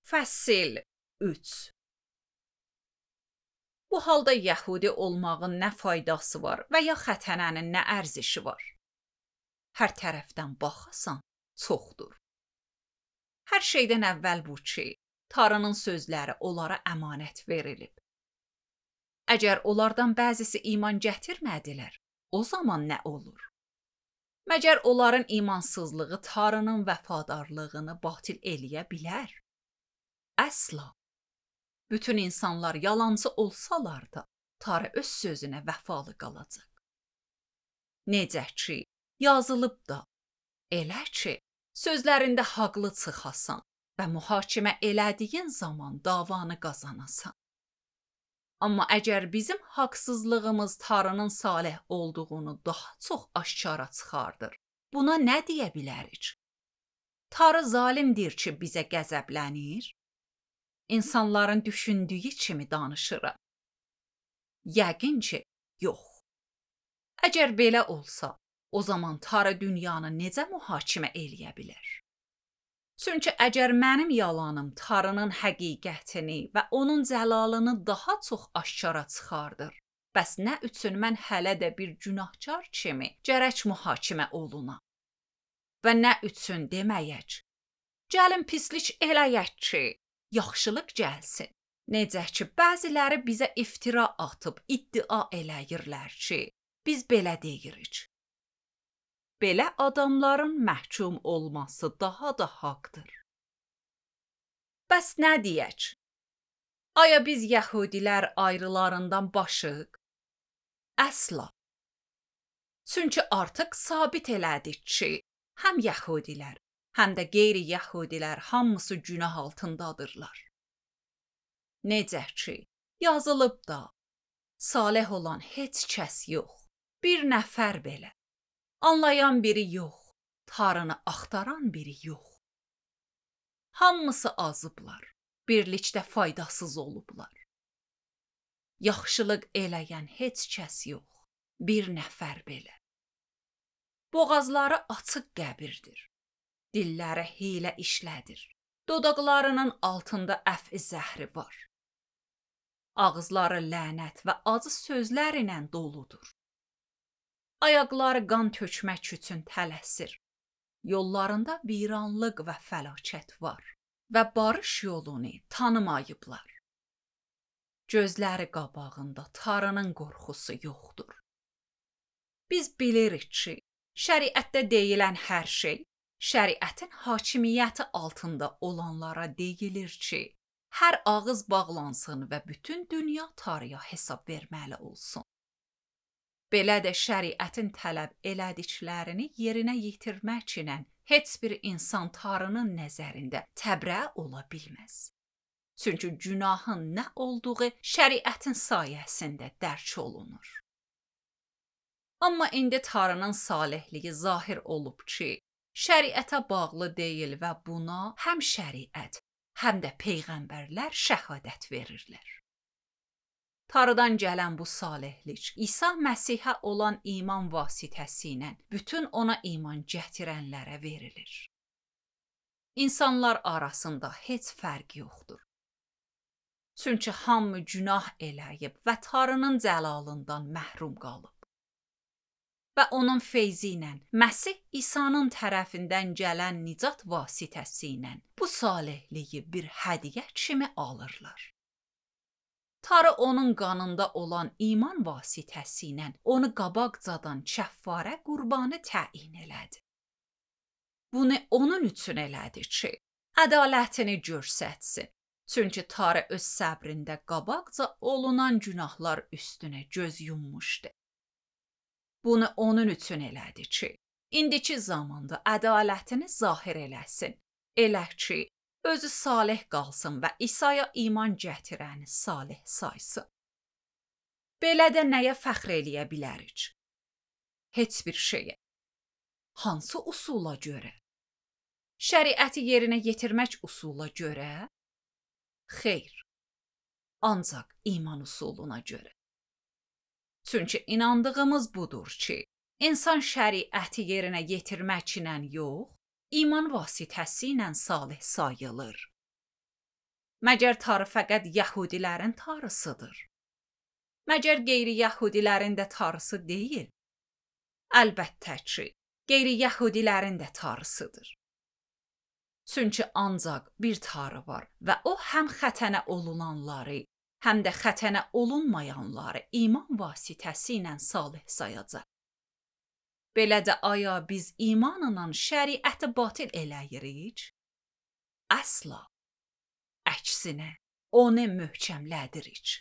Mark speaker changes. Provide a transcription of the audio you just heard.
Speaker 1: Fəsil 3. Bu halda yəhudi olmağın nə faydası var və ya xətənənin nə ərzişi var? Hər tərəfdən baxasan, çoxdur. Hər şeydən əvvəl bu ki, Tanrının sözləri onlara əmanət verilib. Əgər onlardan bəzisi iman gətirmədilər, o zaman nə olur? Məgər onların imansızlığı Tanrının vəfadarlığını batil eləyə bilər? Əsla. Bütün insanlar yalancı olsalar da, Tanrı öz sözünə vəfalı qalacaq. Necə ki, yazılıb da, elə ki, sözlərində haqlı çıxasan və mühakimə elədiyin zaman davanı qazanasan. Amma əgər bizim haqsızlığımız Tanrının salih olduğunu daha çox aşkara çıxardır, buna nə deyə bilərik? Tanrı zalimdir ki, bizə qəzəblənir? İnsanların düşündüyü kimi danışırıq. Yəqin ki, yox. Əgər belə olsa, o zaman Tanrı dünyanı necə mühakimə eləyə bilər? Çünki əgər mənim yalanım Tanrının həqiqətini və onun cəlalını daha çox aşkara çıxardır, bəs nə üçün mən hələ də bir günahkar kimi gərək mühakimə olunam? Və nə üçün deməyək? Gəlin pislik eləyək ki, yaxşılıq gəlsin. Necə ki, bəziləri bizə iftira atıb iddia eləyirlər ki, biz belə deyirik. Belə adamların məhkum olması daha da haqdır. Bəs nə deyək? Aya biz yəhudilər ayrılarından başıq? Əsla. Çünki artıq sabit elədik ki, həm yəhudilər, həm də qeyri-yəhudilər hamısı günah altındadırlar. Necə ki, yazılıb da, salih olan heç kəs yox, bir nəfər belə. Anlayan biri yox, Tanrını axtaran biri yox. Hamısı azıblar, birlikdə faydasız olublar. Yaxşılıq eləyən heç kəs yox, bir nəfər belə. Boğazları açıq qəbirdir, dilləri hiylə işlədir, dodaqlarının altında əf zəhri var. Ağızları lənət və acı sözlər ilə doludur. Ayaqları qan tökmək üçün tələsir. Yollarında viranlıq və fəlakət var və barış yolunu tanımayıblar. Gözləri qabağında Tanrının qorxusu yoxdur. Biz bilirik ki, şəriətdə deyilən hər şey, şəriətin hakimiyyəti altında olanlara deyilir ki, hər ağız bağlansın və bütün dünya Tanrıya hesab verməli olsun. Belə də şəriətin tələb elədiklərini yerinə yetirmək ilə heç bir insan Tanrının nəzərində təbrə ola bilməz. Çünki günahın nə olduğu şəriətin sayəsində dərk olunur. Amma indi Tanrının salihliyi zahir olub ki, şəriətə bağlı deyil və buna həm şəriət, həm də peyğəmbərlər şəhadət verirlər. Tanrıdan gələn bu salihlik İsa Məsihə olan iman vasitəsilə bütün ona iman gətirənlərə verilir. İnsanlar arasında heç fərq yoxdur. Çünki hamı günah eləyib və Tanrının cəlalından məhrum qalıb. Və onun feyzi ilə Məsih İsa'nın tərəfindən gələn nicat vasitəsilə bu salihliyi bir hədiyyə kimi alırlar. Tanrı onun qanında olan iman vasitəsilə onu qabaqcadan kəffarə qurbanı təyin elədi. Bunu onun üçün elədi ki, ədalətini göstərsin. Çünki Tanrı öz səbrində qabaqca olunan günahlar üstünə göz yummuşdu. Bunu onun üçün elədi ki, indiki zamanda ədalətini zahir eləsin. Elə ki, özü salih qalsın və İsa'ya iman gətirəni salih saysın. Belə də nəyə fəxr eləyə bilərik? Heç bir şeyə. Hansı usula görə? Şəriəti yerinə yetirmək usula görə? Xeyr. Ancaq iman usuluna görə. Çünki inandığımız budur ki, insan şəriəti yerinə yetirmək ilə yox, iman vasitəsi ilə salih sayılır. Məgər tarı fəqət yəhudilərin tarısıdır? Məgər qeyri-yəhudilərin də tarısı deyil? Əlbəttə ki, qeyri-yəhudilərin də tarısıdır. Çünki ancaq bir tarı var və o həm xətənə olunanları, həm də xətənə olunmayanları iman vasitəsilə salih sayacaq. Belə də aya biz imanla şəriəti batil eləyirik? Əsla. Əksinə, onu möhkəmlədirik.